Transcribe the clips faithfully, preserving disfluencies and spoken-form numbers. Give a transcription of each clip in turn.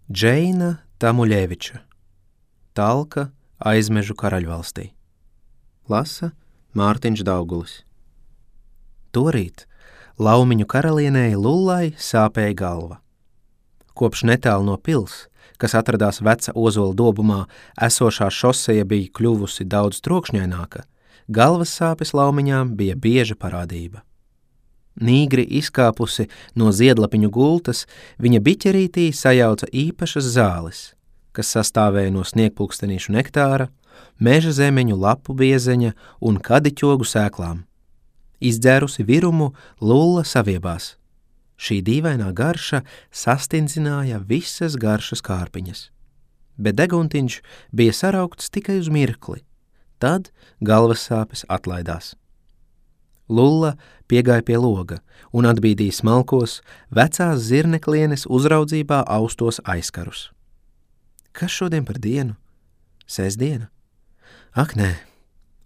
Džeina Tamuļeviča, Talka Aizmežu Karaļvalstī. Lasa Mārtiņš Daugulis. Torīt Laumiņu karalienei Lullai sāpēja galva. Kopš netālu no pils, kas atradās Veca Ozola dobumā, esošā šoseja bija kļuvusi daudz trokšņaināka, galvas sāpes Laumiņām bija bieža parādība. Nīgri izkāpusi no ziedlapiņu gultas, viņa biķerītī sajauca īpašas zāles, kas sastāvēja no sniegpulkstenīšu nektāra, meža zemeņu lapu biezeņa un kadiķogu sēklām. Izdzērusi virumu, Lulla saviebās. Šī dīvainā garša sastindzināja visas garšas kārpiņas. Bet deguntiņš bija saraukts tikai uz mirkli. Tad galvas sāpes atlaidās. Lulla piegāja pie loga un atbīdīja smalkos, vecās zirneklienes uzraudzībā austos aizkarus. Kas šodien par dienu? Sēsdiena? Ak, nē.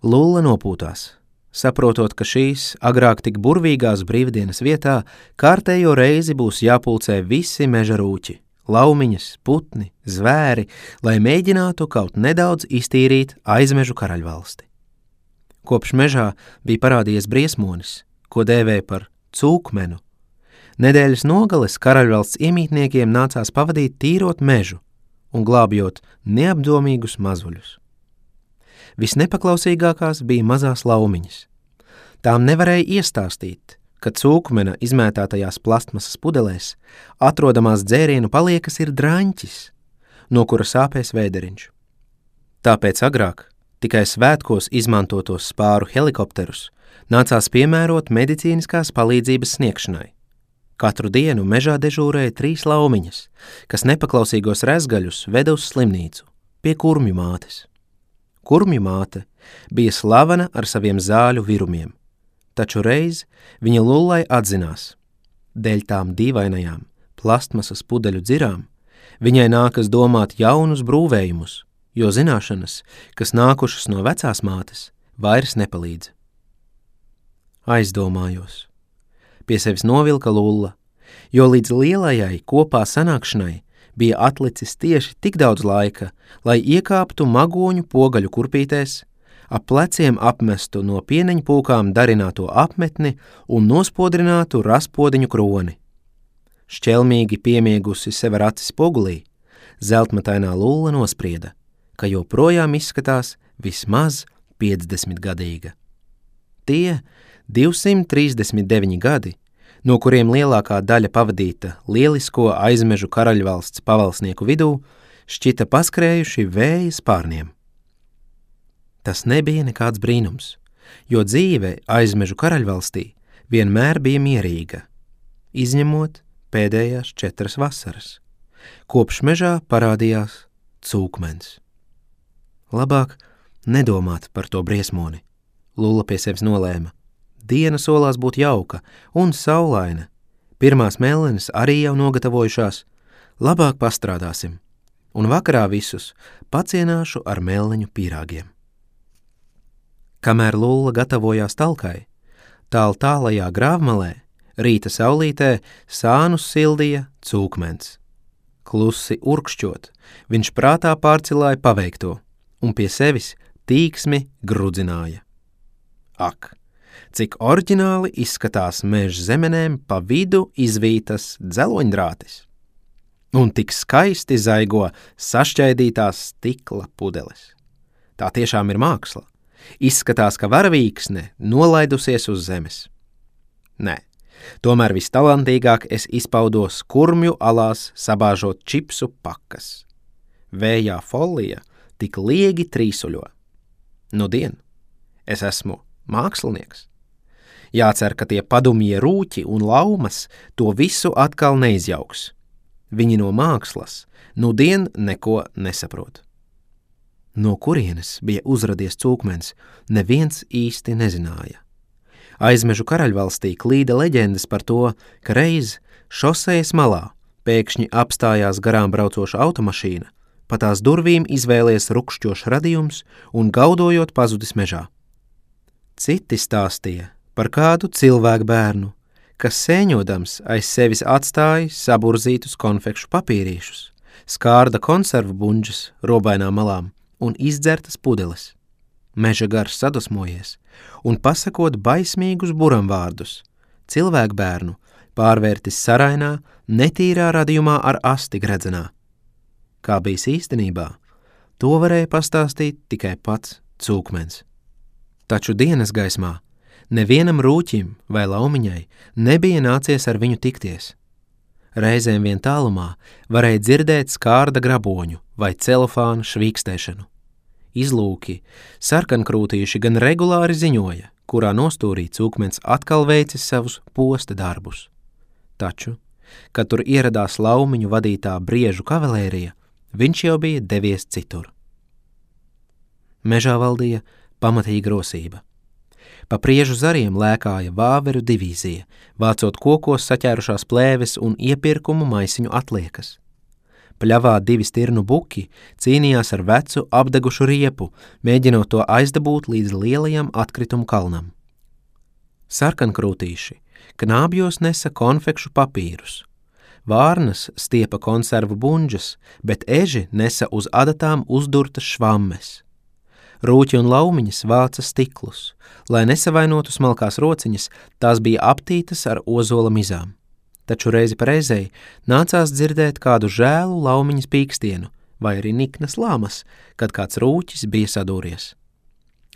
Lulla nopūtās, saprotot, ka šīs agrāk tik burvīgās brīvdienas vietā kārtējo reizi būs jāpulcē visi meža rūķi, laumiņas, putni, zvēri, lai mēģinātu kaut nedaudz iztīrīt Aizmežu Karaļvalsti. Kopš mežā bija parādījies briesmonis, ko dēvēja par cūkmenu. Nedēļas nogales Karaļvalsts iemītniekiem nācās pavadīt tīrot mežu un glābjot neapdomīgus mazuļus. Visnepaklausīgākās bija mazās laumiņas. Tām nevarēja iestāstīt, ka cūkmena izmētātajās plastmasas pudelēs atrodamās dzērienu paliekas ir draņķis, no kura sāpēs vēderiņš. Tāpēc agrāk tikai svētkos izmantotos spāru helikopterus nācās piemērot medicīniskās palīdzības sniegšanai. Katru dienu mežā dežūrēja trīs laumiņas, kas nepaklausīgos rezgaļus veda uz slimnīcu, pie kurmju mātes. Kurmju māte bija slavena ar saviem zāļu virumiem, taču reiz viņa Lullai atzinās. Dēļ tām dīvainajām plastmasas pudeļu dzirām viņai nākas domāt jaunus brūvējumus, jo zināšanas, kas nākušas no vecās mātes, vairs nepalīdz. Aizdomājos. Pie sevis novilka Lulla, jo līdz lielajai kopā sanākšanai bija atlicis tieši tik daudz laika, lai iekāptu magoņu pogaļu kurpītēs, ap pleciem apmestu no pieneņpūkām darināto apmetni un nospodrinātu raspodiņu kroni. Šķelmīgi piemiegusi sev ar acis pogulī, zeltmatainā Lulla nosprieda, ka joprojām izskatās vismaz piecdesmitgadīga. Tie divsimt trīsdesmit deviņi gadi, no kuriem lielākā daļa pavadīta lielisko Aizmežu Karaļvalsts pavalsnieku vidū, šķita paskrējuši vēja spārniem. Tas nebija nekāds brīnums, jo dzīve Aizmežu Karaļvalstī vienmēr bija mierīga, izņemot pēdējās četras vasaras. Kopš mežā parādījās cūkmens. Labāk nedomāt par to briesmoni, Lulla pie sevis nolēma. Diena solās būt jauka un saulaina. Pirmās mellenes arī jau nogatavojušās. Labāk pastrādāsim, un vakarā visus pacienāšu ar melleņu pīrāgiem. Kamēr Lulla gatavojās talkai, tāl tālajā grāvmalē, rīta saulītē sānus sildīja cūkmens. Klusi urkšķot, viņš prātā pārcilāja paveikto un pie sevis tīksmi grudzināja. Ak! Cik oriģināli izskatās meža zemenēm pa vidu izvītas dzeloņdrātis. Un tik skaisti zaigo sašķaidītās stikla pudeles. Tā tiešām ir māksla. Izskatās, ka varavīksne nolaidusies uz zemes. Nē, tomēr vistalantīgāk es izpaudos kurmju alās sabāžot čipsu pakas. Vējā folija tik liegi trīsuļo. Nudien, es esmu mākslinieks. Jācer, ka tie padumie rūķi un laumas to visu atkal neizjauks. Viņi no mākslas nudien neko nesaprot. No kurienes bija uzradies cūkmens, neviens īsti nezināja. Aizmežu Karaļvalstī klīda leģendas par to, ka reiz šosejas malā pēkšņi apstājās garām braucoša automašīna, pa tās durvīm izvēlies rukšķošs radījums un gaudojot pazudis mežā. Citi stāstīja par kādu cilvēku bērnu, kas sēņodams aiz sevis atstāja saburzītus konfekšu papīrīšus, skārda konservu buņģas robainām malām un izdzertas pudeles. Meža gars sadusmojies un pasakot baismīgus buramvārdus, cilvēku bērnu pārvērtis sarainā, netīrā radījumā ar asti gredzenā. Kā bijis īstenībā, to varēja pastāstīt tikai pats Cūkmens. Taču dienas gaismā nevienam rūķim vai laumiņai nebija nācies ar viņu tikties. Reizēm vien tālumā varēja dzirdēt skārda graboņu vai celofānu švīkstēšanu. Izlūki, sarkankrūtīši gan regulāri ziņoja, kurā nostūrī Cūkmens atkal veicis savus posta darbus. Taču, kad tur ieradās laumiņu vadītā briežu kavalērija, viņš jau bija devies citur. Mežā valdīja pamatīga rosība. Pa priežu zariem lēkāja vāveru divīzija, vācot kokos saķērušās plēves un iepirkumu maisiņu atliekas. Pļavā divi stirnu buki cīnījās ar vecu apdegušu riepu, mēģinot to aizdabūt līdz lielajam atkritumu kalnam. Sarkankrūtīši knābjos nesa konfekšu papīrus. Vārnas stiepa konservu buņģas, bet eži nesa uz adatām uzdurtas švammes. Rūķi un laumiņas vāca stiklus, lai nesavainotu smalkās rociņas, tās bija aptītas ar ozola mizām. Taču reizi pa reizei nācās dzirdēt kādu žēlu laumiņas pīkstienu vai arī niknas lāmas, kad kāds rūķis bija sadūries.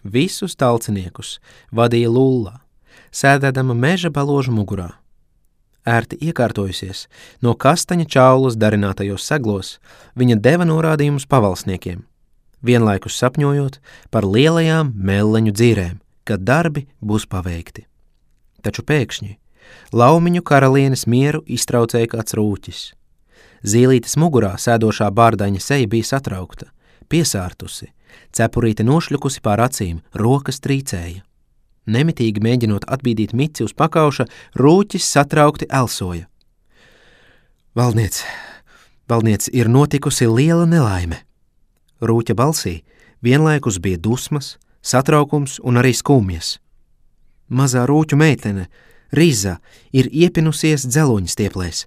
Visus talciniekus vadīja Lulla, sēdēdama meža baložu mugurā. Ērti iekārtojusies, no kastaņa čaulas darinātajos seglos, viņa deva norādījumus pavalsniekiem, vienlaikus sapņojot par lielajām melleņu dzīrēm, kad darbi būs paveikti. Taču pēkšņi laumiņu karalienes mieru iztraucēja kāds rūķis. Zīlītes mugurā sēdošā bārdaņa seja bija satraukta, piesārtusi, cepurīte nošļukusi pār acīm, rokas trīcēja. Nemitīgi mēģinot atbīdīt mici uz pakauša, rūķis satraukti elsoja. Valdniec, valdniec, ir notikusi liela nelaime. Rūķa balsī vienlaikus bija dusmas, satraukums un arī skumjas. Mazā rūķu meitene, Riza, ir iepinusies dzeloņa stieplēs.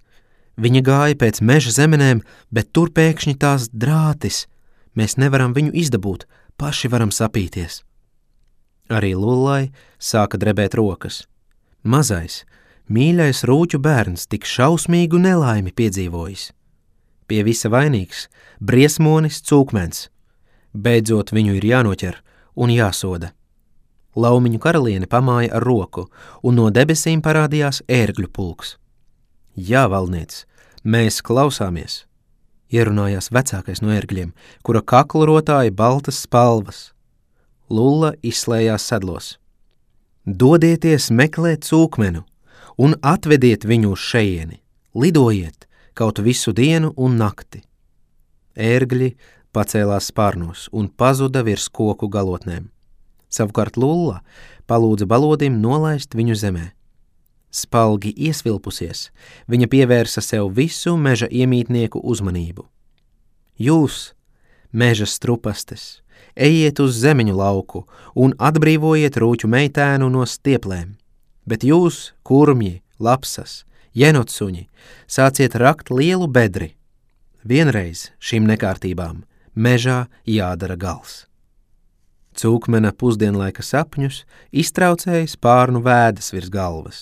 Viņa gāja pēc meža zemenēm, bet tur pēkšņi tās drātis. Mēs nevaram viņu izdabūt, paši varam sapīties. Arī Lullai sāka drebēt rokas. Mazais, mīļais rūķu bērns tik šausmīgu nelaimi piedzīvojis. Pie visa vainīgs briesmonis Cūkmens. Beidzot viņu ir jānoķer un jāsoda. Laumiņu karaliene pamāja ar roku, un no debesīm parādījās ērgļu pulks. Jā, valdniec, mēs klausāmies, ierunājās vecākais no ērgļiem, kura kaklu rotāja baltas spalvas. Lulla izslējās sedlos. Dodieties meklēt Cūkmenu un atvediet viņu uz šejieni, lidojiet kaut visu dienu un nakti. Ērgļi pacēlās spārnos un pazuda virs koku galotnēm. Savukārt Lulla palūdza balodim nolaist viņu zemē. Spalgi iesvilpusies, viņa pievērsa sev visu meža iemītnieku uzmanību. Jūs, meža strupastes, ejiet uz zemeņu lauku un atbrīvojiet rūķu meitēnu no stieplēm, bet jūs, kurmji, lapsas, jenotsuņi, sāciet rakt lielu bedri. Vienreiz šīm nekārtībām mežā jādara gals. Cūkmena pusdienlaika sapņus iztraucēja spārnu vēdas virs galvas.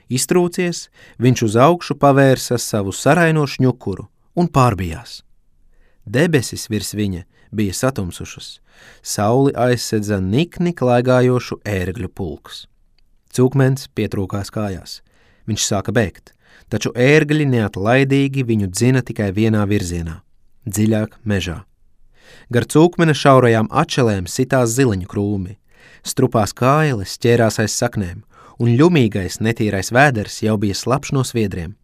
Iztrūcies, viņš uz augšu pavērsa savu saraino šņukuru un pārbijās. Debesis virs viņa bija satumsušas, sauli aizsedza nikni klaigājošu ērgļu pulks. Cūkmens pietrūkās kājās. Viņš sāka bēgt, taču ērgļi neatlaidīgi viņu dzina tikai vienā virzienā – dziļāk mežā. Gar Cūkmena šaurajām atšelēm sitās zileņu krūmi, strupās kājeles ķērās aiz saknēm, un ļumīgais netīrais vēders jau bija slapš no sviedriem,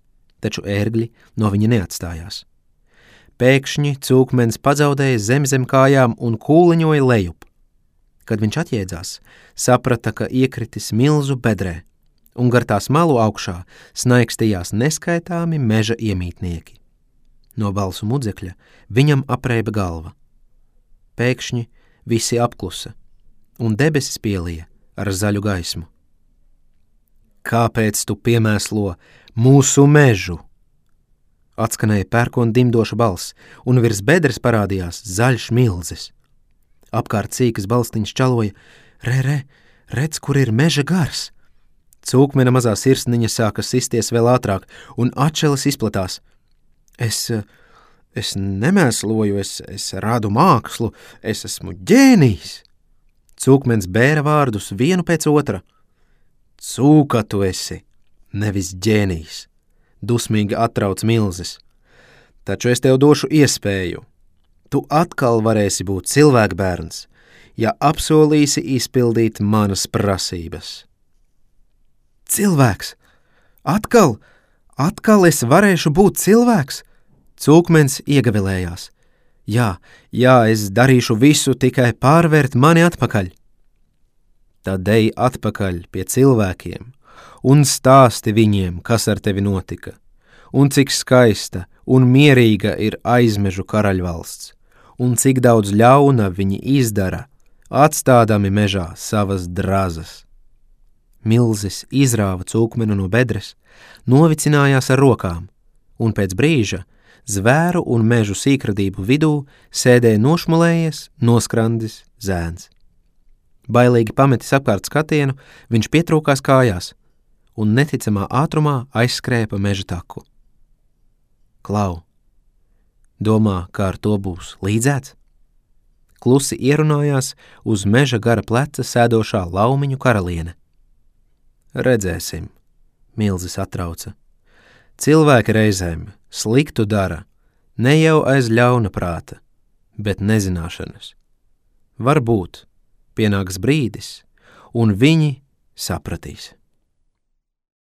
taču ērgļi no viņa neatstājās. Pēkšņi Cūkmens pazaudēja zem zem kājām un kūliņoja lejup. Kad viņš atjēdzās, saprata, ka iekritis milzu bedrē, un gar tās malu augšā snaikstījās neskaitāmi meža iemītnieki. No balsu mudzekļa viņam apreiba galva. Pēkšņi visi apklusa, un debesis pielija ar zaļu gaismu. Kāpēc tu piemēslo mūsu mežu? Atskanēja pērkona dimdoša balss, un virs bedres parādījās zaļš milzis. Apkārt cīkas balstiņš čaloja: Re, re, redz, kur ir meža gars! Cūkmena mazā sirsniņa sāka sisties vēl ātrāk, un atšeles izplatās. Es, es nemēsloju, es, es rādu mākslu, es esmu ģēnijs! Cūkmens bēra vārdus vienu pēc otra. Cūka tu esi, nevis ģēnijs, dusmīgi atrauc milzis. Taču es tev došu iespēju. Tu atkal varēsi būt cilvēkbērns, ja apsolīsi izpildīt manas prasības. Cilvēks! Atkal! Atkal es varēšu būt cilvēks! Cūkmens iegavilējās. Jā, jā, es darīšu visu, tikai pārvērt mani atpakaļ. Tad ej atpakaļ pie cilvēkiem un stāsti viņiem, kas ar tevi notika, un cik skaista un mierīga ir Aizmežu karaļvalsts, un cik daudz ļauna viņi izdara, atstādami mežā savas drazas. Milzis izrāva cūkmenu no bedres, novicinājās ar rokām, un pēc brīža zvēru un mežu sīkradību vidū sēdēja nošmulējies, noskrandis zēns. Bailīgi pametis apkārt skatienu, viņš pietrūkās kājās un neticamā ātrumā aizskrēja pa meža taku. Klau, domā, kā ar to būs līdzēts? Klusi ierunājās uz meža gara pleca sēdošā Laumiņu karaliene. Redzēsim, milzis atrauca. Cilvēki reizēm sliktu dara, ne jau aiz ļauna prāta, bet nezināšanas. Varbūt pienāks brīdis, un viņi sapratīs.